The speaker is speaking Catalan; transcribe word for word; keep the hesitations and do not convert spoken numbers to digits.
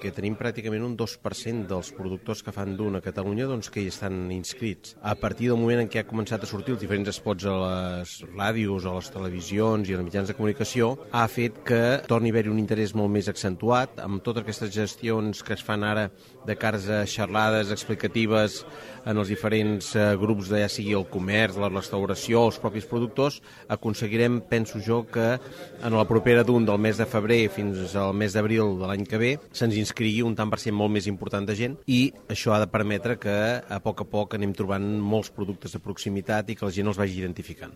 perquè tenim pràcticament un dos per cent dels productors que fan d'un a Catalunya doncs, que hi estan inscrits. A partir del moment en què ha començat a sortir els diferents spots a les ràdios, a les televisions i als mitjans de comunicació, ha fet que torni a haver-hi un interès molt més accentuat amb totes aquestes gestions que es fan ara de cares a xerrades explicatives en els diferents eh, grups de ja sigui el comerç, la restauració, els propis productors, aconseguirem, penso jo, que en la propera d'un del mes de febrer fins al mes d'abril de l'any que ve se'ns inscrigui un tant per cent molt més important de gent i això ha de permetre que a poc a poc anem trobant molts productes de proximitat i que la gent els vagi identificant.